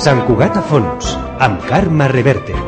Sant Cugat a fons, amb Carme Reverte.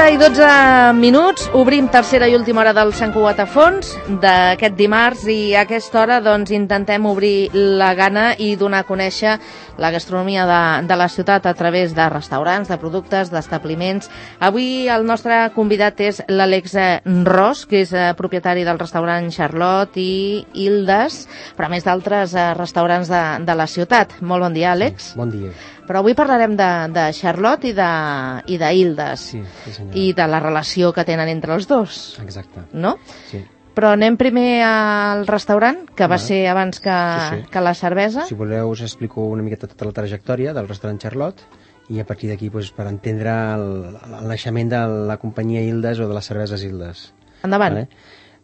I 12 minuts, obrim tercera i última hora del Sant Cugat a fons d'aquest dimarts i a aquesta hora doncs intentem obrir la gana i donar a conèixer la gastronomia de la ciutat a través de restaurants, de productes, d'establiments. Avui el nostre convidat és l'Àlex Ros, que és propietari del restaurant Charlotte i Hildes, però a més d'altres restaurants de la ciutat. Molt bon dia, Àlex. Bon dia. Però avui parlarem de Charlotte i de Hildes. Sí, senyora. I de la relació que tenen entre els dos. Exacte. No? Sí. Però anem primer al restaurant, que va ser abans que la cervesa. Si voleu us explico una miqueta tota la trajectòria del restaurant Charlotte i a partir d'aquí per entendre el naixement de la companyia Hildes o de les cerveses Hildes. Endavant. Vale?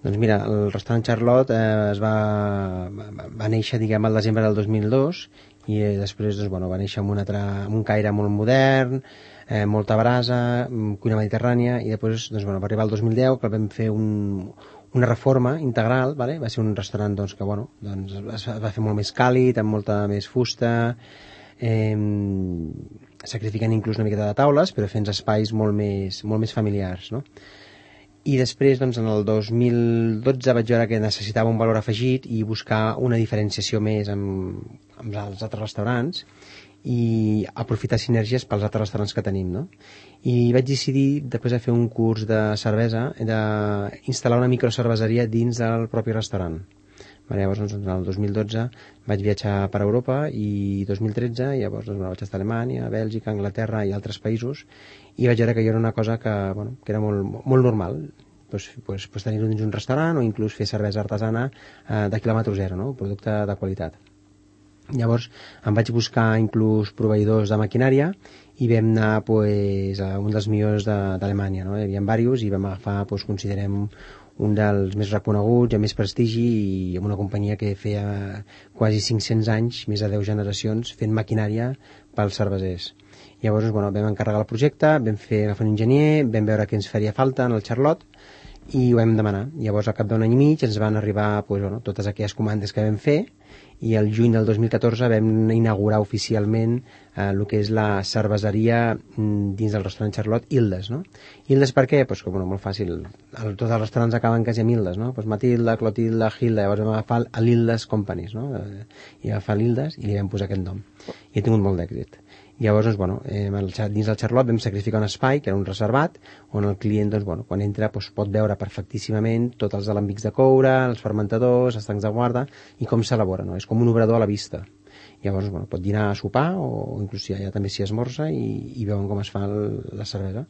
Doncs mira, el restaurant Charlotte va néixer, diguem, al desembre del 2002 i després doncs, va néixer amb un caire molt modern, molta brasa, cuina mediterrània, i després va arribar el 2010 que vam fer una reforma integral, vale? Va ser un restaurant que es va fer molt més càlid, amb molta més fusta, sacrificant inclús una miqueta de taules, però fent espais molt més familiars, no? I després, en el 2012 vaig veure que necessitava un valor afegit i buscar una diferenciació més amb els altres restaurants i aprofitar sinergies pels altres restaurants que tenim, no? I vaig decidir, després de fer un curs de cervesa, d'instal·lar una microcerveseria dins del propi restaurant. Llavors, en el 2012 vaig viatjar per Europa i 2013 llavors vaig estar a Alemanya, Bèlgica, Anglaterra i altres països i vaig veure que era una cosa que era molt normal, tenir-ho dins un restaurant o inclús fer cervesa artesana de quilòmetre zero, no? Un producte de qualitat. Llavors em vaig buscar inclús proveïdors de maquinària i vam anar a un dels millors d'Alemanya, no? Hi havia diversos i vam agafar, considerem, un dels més reconeguts, amb més prestigi i amb una companyia que feia quasi 500 anys, més de 10 generacions, fent maquinària pels cervesers. Llavors vam encarregar el projecte, vam agafar un enginyer, vam veure què ens faria falta en el Charlotte i ho vam demanar. Llavors, al cap d'un any i mig ens van arribar totes aquelles comandes que vam fer i el juny del 2014 vam inaugurar oficialment el que és la cerveseria dins del restaurant Charlotte Hildes, no? Hildes per què? Molt fàcil, tots els restaurants acaben quasi amb Hildes, no? Matilda, Clotilda, Hilda, llavors vam agafar l'Hildes Companies, no? I agafar l'Hildes i li vam posar aquest nom i ha tingut molt d'èxit. Llavors, dins del Charlotte vam sacrificar un espai, que era un reservat, on el client, quan entra, pot veure perfectíssimament tots els alambics de coure, els fermentadors, els tancs de guarda i com s'elabora, no? És com un obrador a la vista. Llavors, pot dinar a sopar o inclús ja també s'hi esmorza i veuen com es fa la cervesa.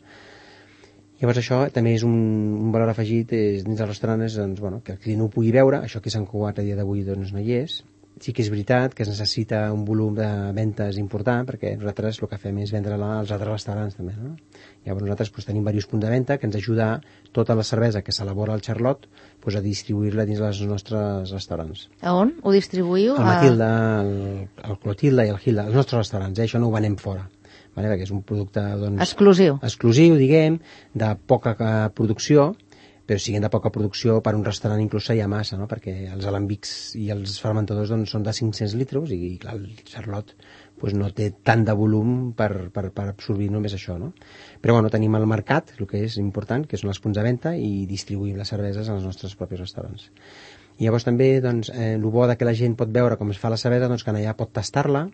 Llavors això també és un valor afegit dins del restaurant, que el client ho pugui veure, això que Sant Cugat a dia d'avui no hi és. Sí que és veritat que es necessita un volum de ventes important perquè nosaltres el que fem és vendre als altres restaurants també, no? Llavors nosaltres tenim diversos punts de venda que ens ajuda tota la cervesa que s'elabora al Charlotte a distribuir-la dins dels nostres restaurants. A on ho distribuïu? El Matilda, el Clotilda i el Hilda, els nostres restaurants, això no ho venem fora. Perquè és un producte exclusiu, diguem, de poca producció, però siguin de poca producció per un restaurant inclús hi ha massa, no? Perquè els alambics i els fermentadors són de 500 litres i clar, el Charlotte no té tant de volum per absorbir només això, no? Però tenim al mercat, el que és important, que són els punts de venda i distribuïm les cerveses als nostres propis restaurants. I llavors també el bo que la gent pot veure com es fa la cervesa, que allà pot tastar-la,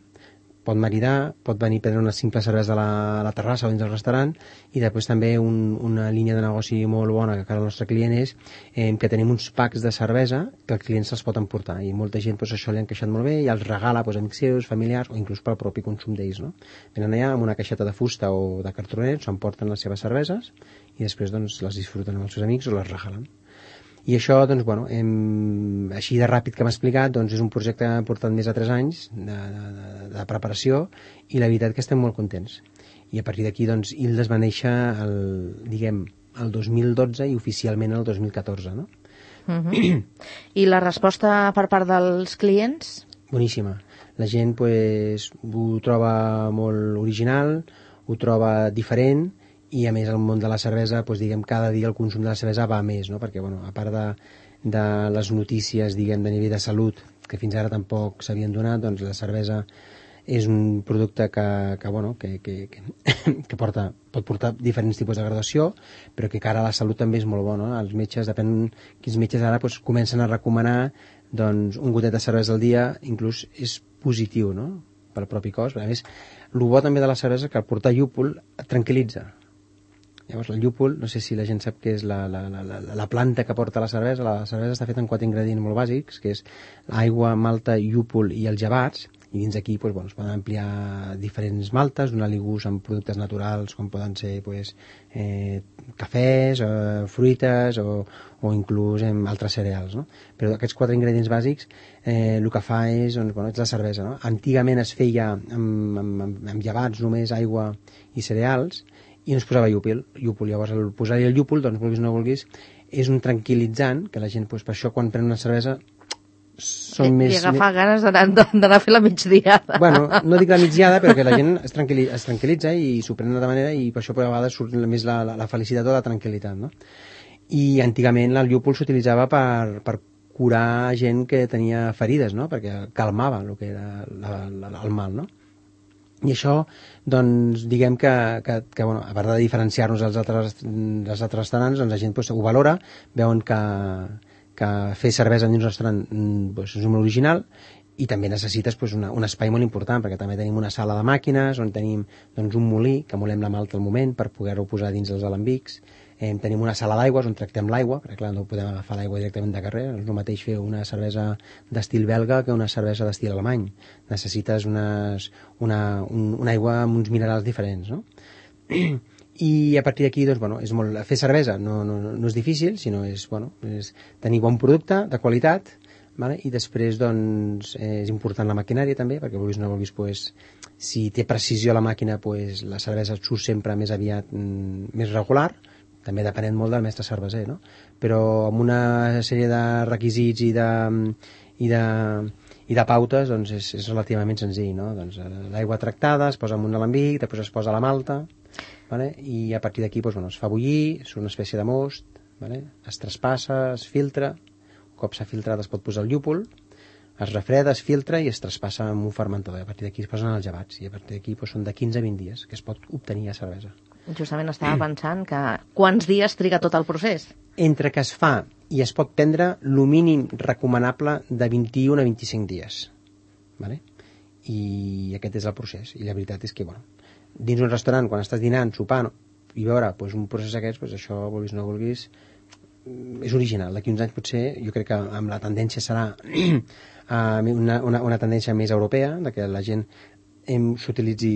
pot maridar, pot venir a prendre una simple cervesa a la terrassa o dins del restaurant i després també una línia de negoci molt bona que el nostre client és que tenim uns packs de cervesa que el client se'ls pot emportar i molta gent això li ha encaixat molt bé i els regala a amics seus, familiars o inclús pel propi consum d'ells, no? Venen allà amb una caixeta de fusta o de cartronet, s'emporten les seves cerveses i després les disfruten amb els seus amics o les regalen. I això, doncs, bueno, així de ràpid que m'ha explicat, doncs és un projecte que ha portat més de 3 anys de preparació i la veritat que estem molt contents. I a partir d'aquí, doncs, Ildes va néixer el 2012 i oficialment el 2014, no? I la resposta per part dels clients? Boníssima. La gent pues, ho troba molt original, ho troba diferent, i a més el món de la cervesa, doncs, cada dia el consum de la cervesa va més, no? Perquè bueno, a part de les notícies de nivell de salut que fins ara tampoc s'havien donat, doncs la cervesa és un producte que pot portar diferents tipus de graduació, però que cara a la salut també és molt bo, no? Els metges, depèn quins metges ara doncs, comencen a recomanar doncs, un gotet de cervesa al dia, inclús és positiu, no? Pel propi cos. A més, el bo també de la cervesa és que al portar llúpol et tranquil·litza. Llavors, el llúpol, no sé si la gent sap què és la planta que porta la cervesa. La cervesa està feta amb 4 ingredients molt bàsics, que és aigua, malta, llúpol i els llevats, i dins d'aquí pues, bueno, es poden ampliar diferents maltes, donar-li gust amb productes naturals com poden ser pues, cafès, fruites o inclús altres cereals, no? Però aquests 4 ingredients bàsics el que fa és, doncs, bueno, és la cervesa, no? Antigament es feia amb llevats, només aigua i cereals, i no es posava llúpol. Llavors el posar-hi el llúpol, doncs vulguis o no vulguis, és un tranquil·litzant que la gent, doncs, per això quan pren una cervesa són més... I agafar ganes d'anar a fer la migdiada. Bueno, no dic la migdiada, però que la gent es tranquil·litza i s'ho pren d'altra manera, i per això a vegades surt més la felicitat o la tranquil·litat, no? I antigament el llúpol s'utilitzava per curar gent que tenia ferides, no? Perquè calmava el que era el mal, no? I això, doncs, diguem que bueno, a part de diferenciar-nos dels altres restaurants, doncs la gent pues, ho valora, veuen que fer cervesa dins un restaurant pues, és molt original, i també necessites pues, un espai molt important, perquè també tenim una sala de màquines on tenim doncs, un molí que molem la malta al moment per poder-ho posar dins els alambics. Tenim una sala d'aigües on tractem l'aigua, perquè clar, no podem agafar l'aigua directament de carrer, no és el mateix fer una cervesa d'estil belga que una cervesa d'estil alemany. Necessites una aigua amb uns minerals diferents, no? I a partir d'aquí, doncs, bueno, és molt, fer cervesa no és difícil, sinó és tenir bon producte, de qualitat, vale? I després doncs, és important la maquinària també, perquè vulguis o no vulguis, pues, si té precisió la màquina, pues, la cervesa surt sempre més aviat més regular, també depenent molt del mestre cerveser, no? Però amb una sèrie de requisits i de pautes doncs és relativament senzill, no? Doncs l'aigua tractada es posa en un alambic, després es posa la malta, vale? I a partir d'aquí doncs, bueno, es fa bullir, és una espècie de most, vale? Es traspassa, es filtra, un cop s'ha filtrat es pot posar el llúpol, es refreda, es filtra i es traspassa amb un fermentador. A partir d'aquí es posen els llevats i a partir d'aquí doncs, són de 15 a 20 dies que es pot obtenir a cervesa. Justament estava pensant que quants dies triga tot el procés? Entre que es fa i es pot prendre el mínim recomanable de 21 a 25 dies. Vale? I aquest és el procés. I la veritat és que, bueno, dins un restaurant, quan estàs dinant, sopant, i veure doncs, un procés aquest, doncs, això, vulguis o no vulguis, és original. D'aquí uns anys potser, jo crec que amb la tendència serà una tendència més europea, de que la gent s'utilitzi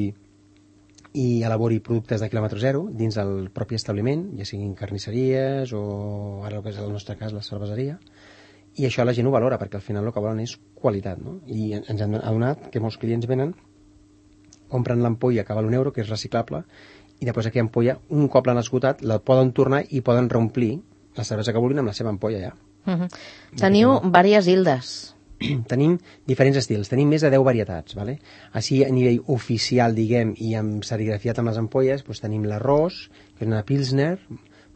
i elabori productes de quilòmetre zero dins del propi establiment, ja siguin carnisseries o ara el que és el nostre cas la cerveseria, i això la gent ho valora perquè al final el que volen és qualitat, no? I ens hem adonat que molts clients venen, compren l'ampolla que val €1, que és reciclable, i després aquella ampolla, un cop l'han esgotat, la poden tornar i poden reomplir la cervesa que vulguin amb la seva ampolla ja. Teniu diverses Ildes. Tenim diferents estils, tenim més de 10 varietats, vale? Així a nivell oficial, diguem, i amb serigrafiat amb les ampolles, doncs tenim l'arròs, que és una Pilsner,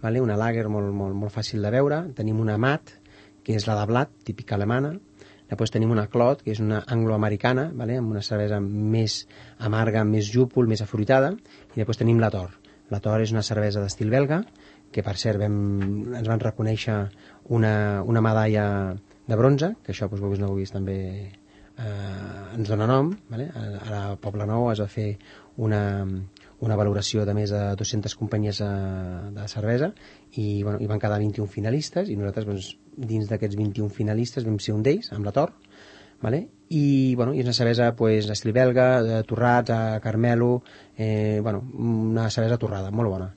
vale? Una lager molt fàcil de veure, tenim una Mat, que és la de blat, típica alemana, després tenim una Clot, que és una angloamericana, vale? Amb una cervesa més amarga, més llúpol, més afruitada, i després tenim la Tor. La Tor és una cervesa d'estil belga, que per cert ens van reconèixer una medalla de bronze, que això, doncs, vulguis o no vulguis, també ens dona nom, vale? A Poblenou es va fer una valoració de més de 200 companyies de cervesa i, bueno, hi van quedar 21 finalistes i nosaltres, doncs, dins d'aquests 21 finalistes vam ser un d'ells, amb la Tor, vale? I, bueno, és una cervesa pues, estil belga, torrats, a carmelo, bueno, una cervesa torrada, molt bona.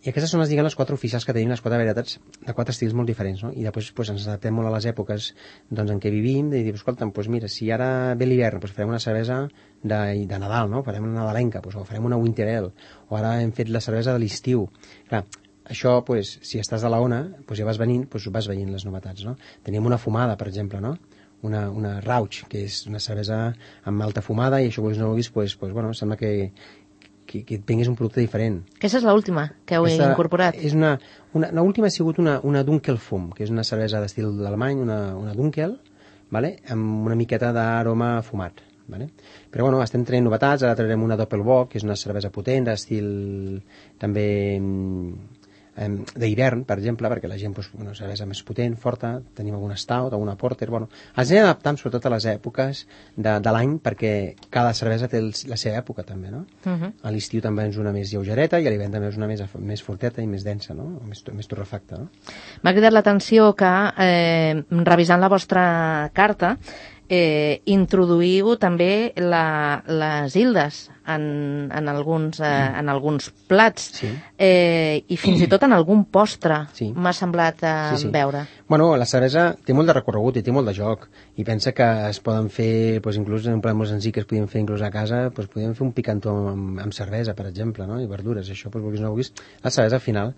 I aquestes són les 4 oficials que tenim, les 4 varietats de 4 estils molt diferents, no? I després ens adaptem molt a les èpoques en què vivim, de dir, escolta, mira, si ara ve l'hivern, farem una cervesa de Nadal, no? Farem una nadalenca, o farem una winter ale, o ara hem fet la cervesa de l'estiu. Clar, això, si estàs a la ona, ja vas veient les novetats, no? Tenim una fumada, per exemple, no? Una Rauch, que és una cervesa amb alta fumada, i això, no vulguis, sembla que et vengués un producte diferent. Aquesta és l'última que heu incorporat. L'última ha sigut una Dunkelfum, que és una cervesa d'estil alemany, una Dunkel, vale? Amb una miqueta d'aroma fumat. Vale? Però estem traient novetats, ara traurem una Doppelbock, que és una cervesa potent, d'estil també d'hivern, per exemple, perquè la gent una cervesa més potent, forta, tenim alguna stout, alguna porter, ens anem adaptant sobretot a les èpoques de l'any, perquè cada cervesa té la seva època també, no? A l'estiu també és una més lleugereta i a l'hivern també és una més forteta i més densa, no? Més torrefacta, no? M'ha cridat l'atenció que, revisant la vostra carta, introduïu també les ildes en alguns plats, sí. I fins i tot en algun postre, sí. M'ha semblat veure. La cervesa té molt de recorregut i té molt de joc, i pensa que es poden fer, inclús en un plat molt senzill que es podien fer inclús a casa, podem fer un picantó amb cervesa, per exemple, no? I verdures, això, vulguis o no vulguis, la cervesa al final,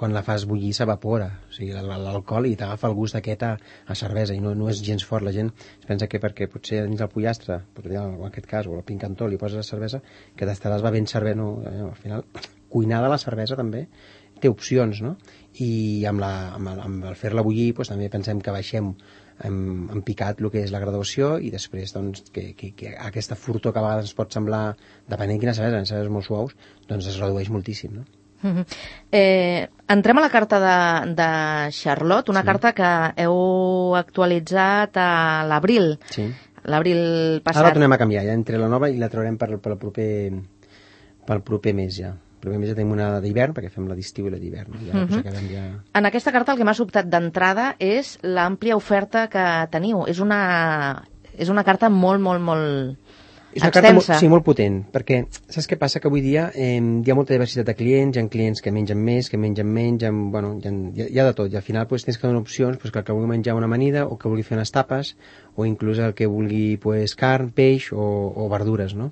quan la fas bullir s'evapora, o sigui, l'alcohol, i t'agafa el gust aquest a cervesa, i no és gens fort. La gent es pensa que perquè potser dins el pollastre, en aquest cas, o el picantó, li poses la cervesa, que t'estaràs bevent cervesa, no? Al final, cuinada la cervesa també té opcions, no? I amb el fer-la bullir també pensem que baixem en picat el que és la graduació, i després que aquesta furtor que a vegades ens pot semblar, depenent quina cervesa, en cerveses molt suaus, es redueix moltíssim, no? Entrem a la carta de Charlotte, una carta que heu actualitzat a l'abril. Sí. L'abril passat. Ara la tornem a canviar, ja entre la nova i la traurem pel proper mes ja. El proper mes ja tenim una d'hivern, perquè fem la d'estiu i la d'hivern. En aquesta carta el que m'ha sobtat d'entrada és l'àmplia oferta que teniu. És una carta molt, molt, molt és una extensa. Carta molt potent, perquè saps què passa? Que avui dia hi ha molta diversitat de clients, hi ha clients que mengen més, que mengen menys, hi ha de tot, i al final tens que donar opcions, que el que vulgui menjar una amanida, o que vulgui fer unes tapes, o inclús el que vulgui carn, peix o verdures, no?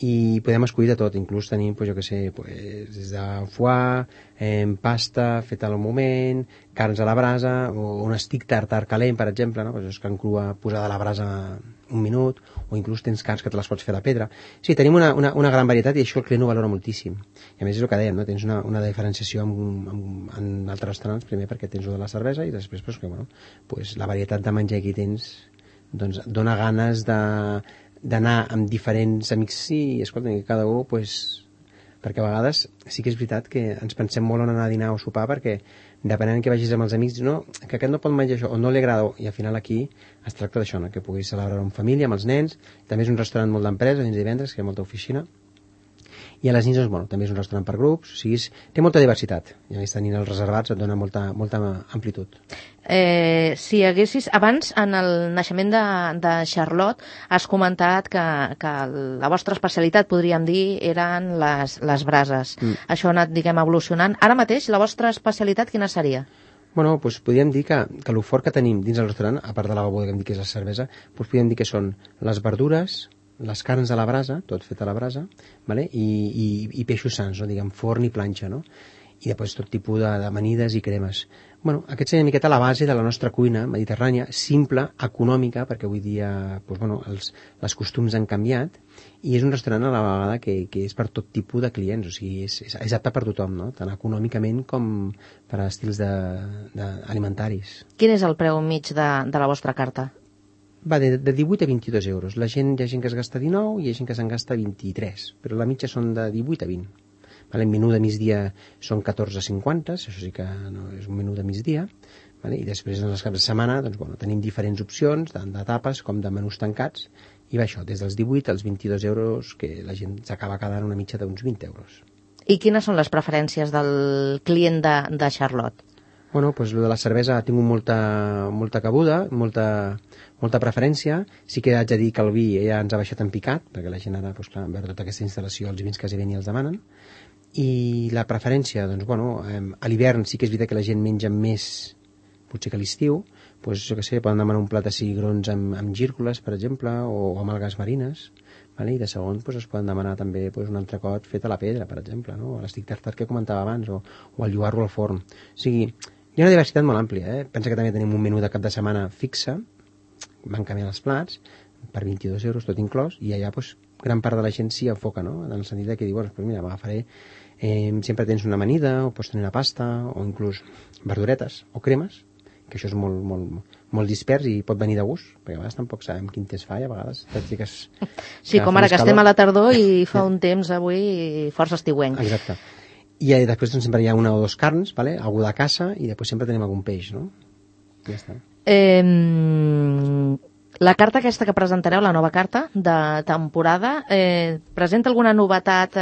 I podem escollir de tot, inclús tenim, des de foie, pasta feta al moment, carns a la brasa, o un stick tartar calent, per exemple, no? És carn crua posada a la brasa un minut, o inclús tens carns que te les pots fer de pedra. Sí, tenim una gran varietat, i això el client ho valora moltíssim. I a més és el que dèiem, no? Tens una diferenciació en altres restaurants, primer perquè tens de la cervesa, i després la varietat de menjar que tens dona ganes d'anar amb diferents amics, sí, escolta, que cada un, perquè a vegades sí que és veritat que ens pensem molt en anar a dinar o sopar, perquè depenent que vagis amb els amics, no, que aquest no pot menjar això, o no li agrada, i al final aquí es tracta d'això, no? Que puguis celebrar en família, amb els nens. També és un restaurant molt d'empresa, dins divendres, que hi ha molta oficina, i a les nits, també és un restaurant per grups, o sigui, té molta diversitat, i a més tenint els reservats et dona molta amplitud. Si haguessis, abans, en el naixement de Charlotte, has comentat que la vostra especialitat, podríem dir, eren les brases. Això ha anat, evolucionant. Ara mateix, la vostra especialitat, quina seria? Podríem dir que el fort que tenim dins el restaurant, a part de la beguda que hem dit que és la cervesa, podríem dir que són les verdures, les carns a la brasa, tot fet a la brasa, vale? I peixos sans, no? Forn i planxa, no? I després tot tipus d'amanides i cremes. Aquest seria una miqueta la base de la nostra cuina mediterrània, simple, econòmica, perquè avui dia els costums han canviat, i és un restaurant a la vegada que és per tot tipus de clients, o sigui, és apte per tothom, no? Tant econòmicament com per a estils alimentaris. Quin és el preu mig de la vostra carta? Va de 18 a 22 euros. Hi ha gent que es gasta 19 i hi ha gent que se'n gasta 23, però la mitja són de 18 a 20. El menú de migdia són 14,50, això sí que no és un menú de migdia, i després en els caps de setmana tenim diferents opcions, tant de tapes com de menús tancats, i va això, des dels 18 als 22 euros, que la gent s'acaba quedant una mitja d'uns 20 euros. I quines són les preferències del client de Charlotte? Lo de la cervesa ha tingut molta cabuda, molta preferència. Sí que haig de dir que el vi ja ens ha baixat en picat, perquè la gent ara, veure tota aquesta instal·lació, els vins quasi ben i els demanen. I la preferència, doncs, bueno, a l'hivern sí que és veritat que la gent menja més, potser que a l'estiu, doncs, jo què sé, poden demanar un plat de cigrons amb gírgoles, per exemple, o amb algues marines, vale? I de segon doncs, es poden demanar també doncs, un entrecot fet a la pedra, per exemple, no? O l'estic tartar que comentava abans, o el lloar-lo al forn. O sigui, hi ha una diversitat molt àmplia, Pensa que també tenim un menú de cap de setmana fixe, van canviant els plats, per 22 euros tot inclòs, i allà doncs, gran part de la gent s'hi enfoca, no? En el sentit que diu, bueno, doncs mira, m'agafaré, sempre tens una amanida, o pots tenir una pasta, o inclús verduretes o cremes, que això és molt dispers i pot venir de gust, perquè a vegades tampoc sabem quin temps fa i a vegades et fiques... Sí, com ara que estem a la tardor i fa un temps avui força estiuenc. Exacte. I després doncs, sempre hi ha una o dos carns, vale? Algú de caça, i després sempre tenim algun peix, no? Ja està. La carta aquesta que presentareu, la nova carta de temporada, presenta alguna novetat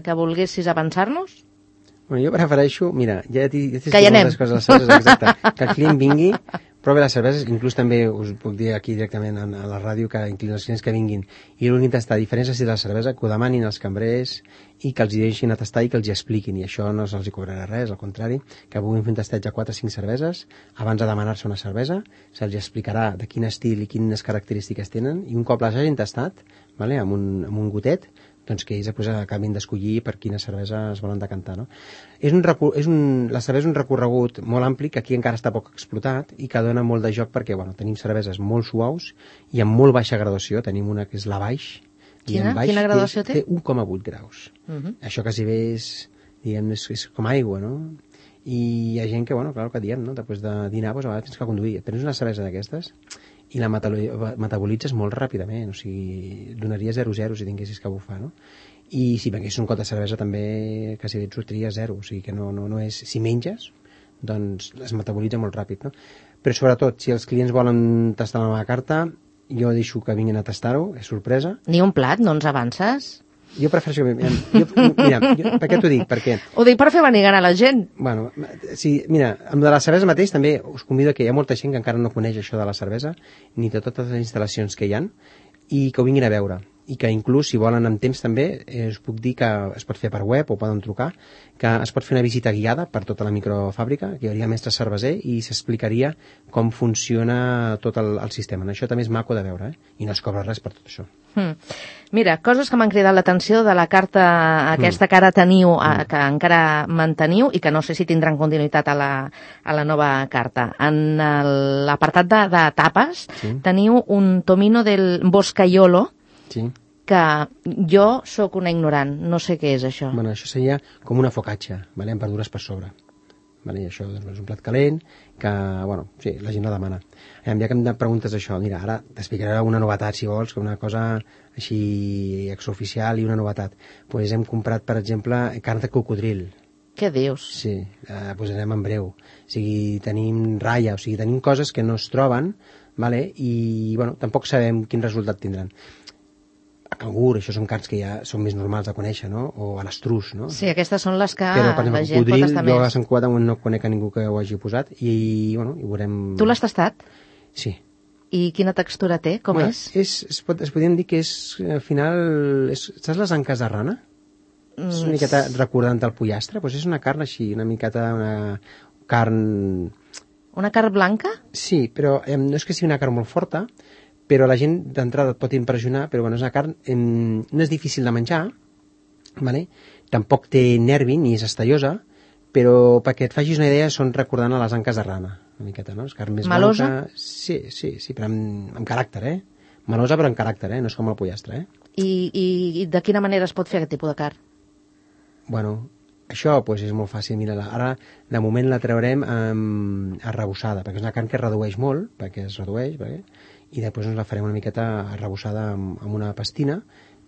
que volguessis avançar-nos? Bueno, jo prefereixo, mira, ja t'he que hi anem. Coses, les cerveses, exacte, que el client vingui, provi les cerveses, inclús també us puc dir aquí directament a la ràdio que inclús els clients que vinguin i vulguin tastar diferents estils de la cervesa, que ho demanin als cambrers i que els hi deixin a tastar i que els hi expliquin, i això no se'ls hi cobrarà res, al contrari, que puguin fer un tasteig a 4 o 5 cerveses abans de demanar-se una cervesa, se'ls explicarà de quin estil i quines característiques tenen, i un cop les hagin tastat, vale, amb un gotet, doncs que ells després acabin d'escollir per quina cervesa es volen decantar, no? La cervesa és un recorregut molt ampli que aquí encara està poc explotat i que dona molt de joc perquè, bueno, tenim cerveses molt suaus i amb molt baixa graduació. Tenim una que és la baix. Quina graduació té? Té 1,8 graus. Això quasi bé és com aigua, no? I hi ha gent que, bueno, clar, el que diem, no? Després de dinar, doncs, a vegades tens que conduir. Prens una cervesa d'aquestes i la metabolitzes molt ràpidament, o sigui, donaria 0,0 si tinguessis que bufar, no? I si vengués un cot de cervesa també quasi bé et sortiria 0, o sigui que no és... Si menges, doncs es metabolitza molt ràpid, no? Però sobretot, si els clients volen tastar la meva carta, jo deixo que vinguin a tastar-ho, és sorpresa. Ni un plat, no ens avances? Jo prefereixo que... per què t'ho dic? Perquè... Ho dic per fer venir gana a la gent. Bueno, sí, mira, amb de la cervesa mateix també us convido que hi ha molta gent que encara no coneix això de la cervesa, ni de totes les instal·lacions que hi han, i que ho vinguin a veure. I que inclús, si volen amb temps també, us puc dir que es pot fer per web o poden trucar, que es pot fer una visita guiada per tota la microfàbrica, que hi hauria mestre cerveser i s'explicaria com funciona tot el sistema. Això també és maco de veure, i no es cobra res per tot això. Mira, coses que m'han cridat l'atenció de la carta aquesta que ara teniu, que encara manteniu i que no sé si tindran continuïtat a la nova carta. En l'apartat de tapes teniu un tomino del Boscaiolo, que jo sóc una ignorant, no sé què és això. Bueno, això seria com una focaccia, vale? Amb verdures per sobre. Vale? I això doncs, és un plat calent que, bueno, sí, la gent la demana. Ja que em preguntes això, mira, ara t'explicaré una novetat, si vols, que una cosa així extraoficial i una novetat. Pues hem comprat, per exemple, carn de cocodril. Què dius? Sí, pues anem en breu. O sigui, tenim ratlla, o sigui, tenim coses que no es troben, vale? I, bueno, tampoc sabem quin resultat tindran. A cangur, això són carns que ja són més normals de conèixer, no? O a l'estrus, no? Sí, aquestes són les que però, per exemple, la gent pot estar més. Jo a Sant Cugat no conec a ningú que ho hagi posat i, bueno, hi veurem... Tu l'has tastat? Sí. I quina textura té? Com és? Es podríem dir que és, al final... Saps les anques de rana? És una miqueta recordant el pollastre? Doncs és una carn així, una miqueta... Una carn... Una carn blanca? Sí, però no és que sigui una carn molt forta, però la gent d'entrada et pot impressionar, però bueno, és una carn, no és difícil de menjar, vale? Tampoc té nervi ni és estellosa, però perquè et facis una idea són recordant a les anques de rana, una miqueta, no? És carn més melosa? Blanca. Sí, però amb caràcter, Melosa però amb caràcter, no és com el pollastre, I de quina manera es pot fer aquest tipus de carn? Bueno, això pues, és molt fàcil. Mira, ara de moment la traurem arrebossada, perquè és una carn que es redueix molt, i després ens la farem una miqueta arrebossada amb una pastina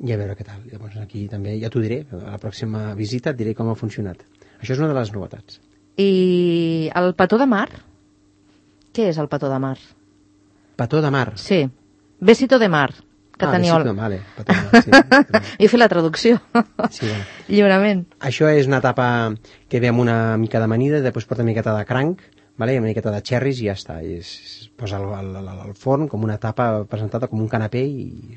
i a veure què tal. Llavors aquí també ja t'ho diré, a la pròxima visita et diré com ha funcionat. Això és una de les novetats. I el petó de mar? Què és el petó de mar? Petó de mar? Sí, besito de mar. Que teniu... besito, vale, petó de mar, sí. He fet la traducció. Sí, bueno. Lliurement. Això és una tapa que ve amb una mica d'amanida, després porta una miqueta de cranc, vale? Una miqueta de cherries i ja està. Es posa al forn com una tapa presentada com un canapé i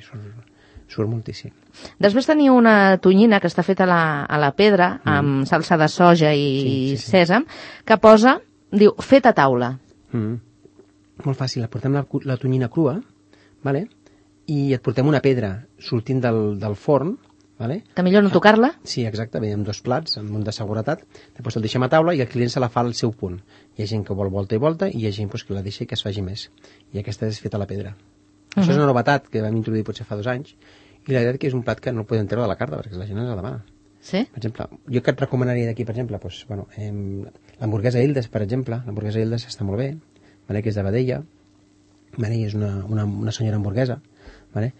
surt moltíssim. Després teniu una tonyina que està feta a la pedra, amb salsa de soja i sèsam, que posa, diu, fet a taula. Molt fàcil, portem la tonyina crua, vale? I et portem una pedra sortint del forn, vale? Que millor no tocar-la? Sí, exacte, ve amb 2 plats, amb un de seguretat, després el deixem a taula i el client se la fa al seu punt. Hi ha gent que vol volta i volta i hi ha gent que la deixa i que es faci més. I aquesta és feta a la pedra. Això és una novetat que vam introduir potser fa 2 anys i la veritat que és un plat que no el podem treure de la carta perquè la gent ens la demana. Sí? Per exemple, jo que et recomanaria d'aquí, per exemple, doncs, bueno, l'hamburguesa Hildes, per exemple, l'hamburguesa Hildes està molt bé, vale? Que és de vedella, vale? I és una senyora hamburguesa. Vale?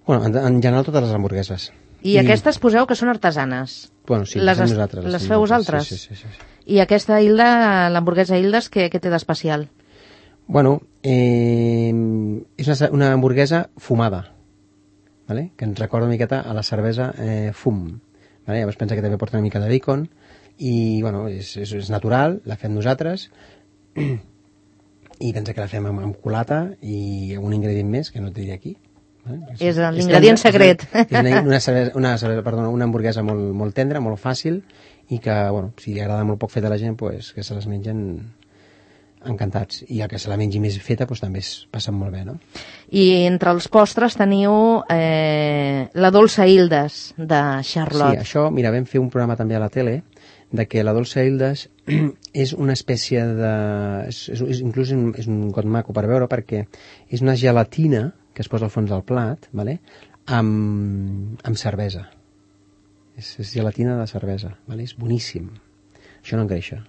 Bueno, en general totes les hamburgueses. I aquestes poseu que són artesanes? Bueno, sí, les fem nosaltres. Les feu vosaltres? Sí. I aquesta Hilda, l'hamburguesa Hildes, què té d'especial? Bueno, és una hamburguesa fumada, vale? Que ens recorda una miqueta a la cervesa fum. Vale? Llavors pensa que també porta una mica de bacon i bueno, és natural, la fem nosaltres i pensa que la fem amb culata i un ingredient més que no et diré aquí. Vale? És l'ingredient secret. És una hamburguesa molt tendra, molt fàcil i que, bueno, si li agrada molt poc fet a la gent, pues, que se les mengen encantats. I el que se la mengi més feta pues, també es passen molt bé, no? I entre els postres teniu la dolça Hildes de Charlotte. Sí, això, mira, vam fer un programa també a la tele de que la dolça Hildes és una espècie de... inclús és un got maco per veure perquè és una gelatina que es posa al fons del plat, vale? amb cervesa. És gelatina de cervesa, vale? És boníssim. Això no engreixa.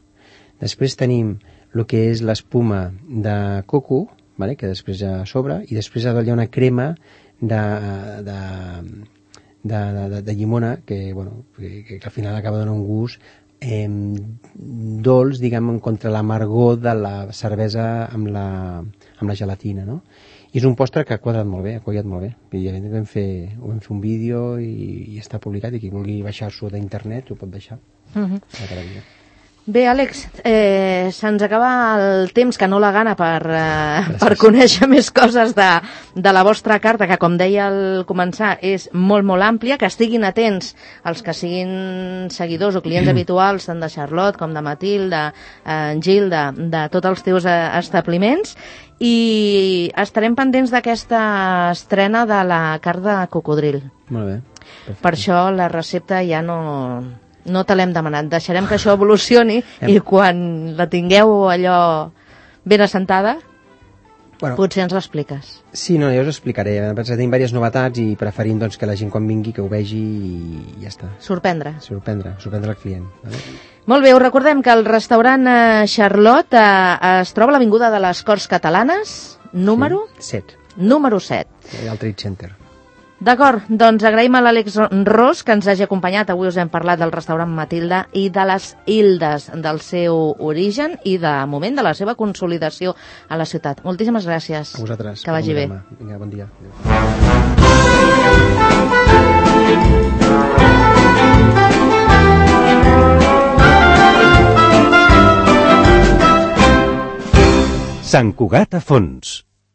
Després tenim el que és l'espuma de coco, vale? Que després ja a sobre, i després hi ha una crema de llimona que, bueno, que al final acaba donant un gust dolç, diguem, contra l'amargor de la cervesa amb la gelatina, no? I és un postre que ha quadrat molt bé, ha quallat molt bé. I vam fer un vídeo i està publicat i qui vulgui baixar-s'ho d'internet ho pot baixar. Bé, Àlex, se'ns acaba el temps, que no la gana per conèixer més coses de la vostra carta, que com deia al començar és molt, molt àmplia, que estiguin atents els que siguin seguidors o clients habituals tant de Charlotte com de Matilde, Gil, de tots els teus establiments, i estarem pendents d'aquesta estrena de la carn de cocodril. Molt bé. Perfecte. Per això la recepta ja no te l'hem demanat. Deixarem que això evolucioni i quan la tingueu allò ben assentada, potser ens l'expliques. Sí, no, jo us explicaré. Tenim diverses novetats i preferim doncs, que la gent quan vingui que ho vegi i ja està. Sorprendre el client. Vale? Molt bé, us recordem que el restaurant Charlotte es troba a l'Avinguda de les Corts Catalanes, número 7. Número 7. Al Trade Center. D'acord, doncs agraïm a l'Àlex Ros que ens hagi acompanyat. Avui us hem parlat del restaurant Matilde i de les Hildes, del seu origen i de moment de la seva consolidació a la ciutat. Moltíssimes gràcies. A vosaltres. Que vagi bé. Vinga, bon dia. Sant Cugat a Fons.